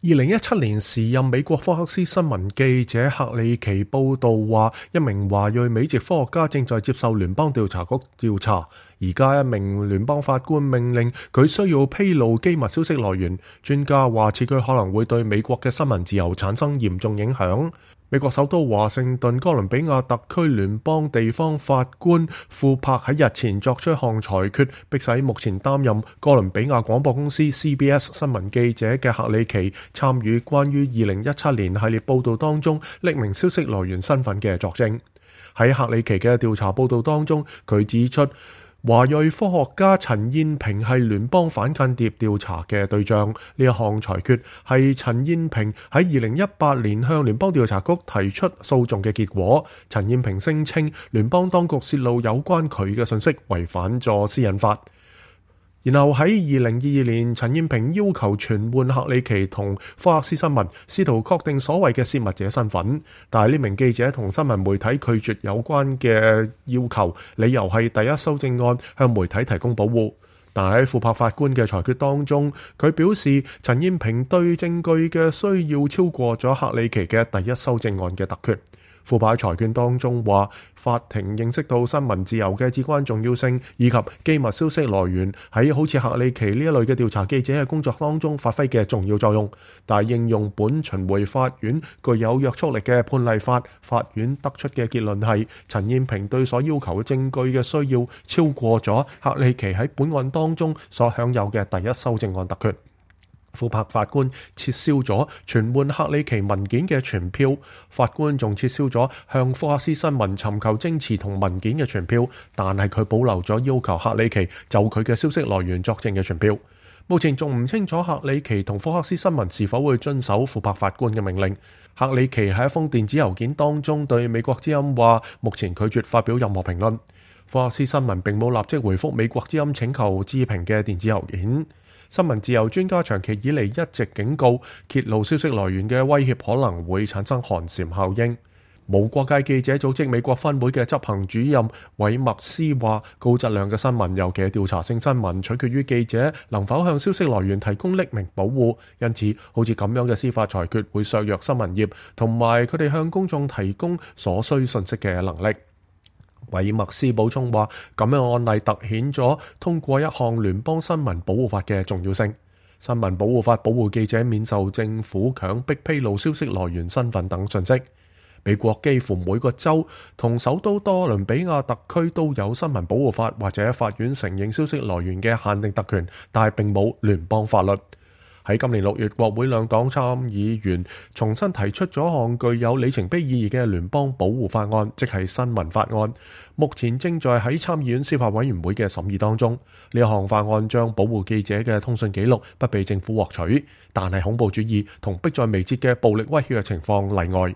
2017年時任美國福克斯新聞記者克里奇報道話，一名華裔美籍科學家正在接受聯邦調查局調查。而家一名聯邦法官命令佢需要披露機密消息來源。專家話，此舉可能會對美國嘅新聞自由產生嚴重影響。美國首都華盛頓哥倫比亞特區聯邦地方法官庫珀喺日前作出一項裁決，迫使目前擔任哥倫比亞廣播公司 CBS 新聞記者嘅克里奇參與關於2017年系列報道當中匿名消息來源身份嘅作證。喺克里奇嘅調查報道當中，佢指出華裔科學家陳燕平係聯邦反間諜調查嘅對象。呢一項裁決係陳燕平喺2018年向聯邦調查局提出訴訟嘅結果。陳燕平聲稱聯邦當局泄露有關佢嘅信息違反咗私隱法。然後喺2022年，陳燕平要求傳喚克里奇同福克斯新聞，試圖確定所謂嘅泄密者身份。但係呢名記者同新聞媒體拒絕有關嘅要求，理由係第一修正案向媒體提供保護。但喺庫珀法官嘅裁決當中，佢表示陳燕平對證據嘅需要超過咗克里奇嘅第一修正案嘅特權。庫珀裁決當中話，法庭認識到新聞自由嘅至關重要性，以及機密消息來源喺好似克里奇呢一類嘅調查記者嘅工作當中發揮嘅重要作用。但係應用本巡迴法院具有約束力嘅判例法，法院得出嘅結論係陳燕平對所要求嘅證據嘅需要超過咗克里奇喺本案當中所享有嘅第一修正案特權。庫珀法官撤銷咗傳喚克里奇文件嘅傳票，法官仲撤銷咗向福克斯新聞尋求證詞同文件嘅傳票，但係佢保留咗要求克里奇就佢嘅消息來源作證嘅傳票。目前仲唔清楚克里奇同福克斯新聞是否會遵守庫珀法官嘅命令。克里奇喺一封電子郵件當中對美國之音話，目前拒絕發表任何評論。福克斯新聞並冇立即回覆美國之音請求置評嘅電子郵件。新聞自由專家長期以嚟一直警告，揭露消息來源嘅威脅可能會產生寒蟬效應。無國界記者組織美國分會嘅執行主任韋默斯話，高質量嘅新聞，尤其係調查性新聞，取決於記者能否向消息來源提供匿名保護。因此，好似咁樣嘅司法裁決會削弱新聞業同埋佢哋向公眾提供所需信息嘅能力。韋默斯補充話，咁樣嘅案例凸顯咗通過一項聯邦新聞保護法嘅重要性。新聞保護法保護記者免受政府強迫披露消息來源身份等信息。美國幾乎每個州同首都多倫比亞特區都有新聞保護法或者法院承認消息來源嘅限定特權，但係並冇聯邦法律。喺今年6月，國會兩黨參議員重新提出咗一項具有里程碑意義嘅聯邦保護法案，即係新聞法案。目前正在喺參議院司法委員會嘅審議當中。呢一項法案將保護記者嘅通訊記錄不被政府獲取，但係恐怖主義同迫在眉睫嘅暴力威脅嘅情況例外。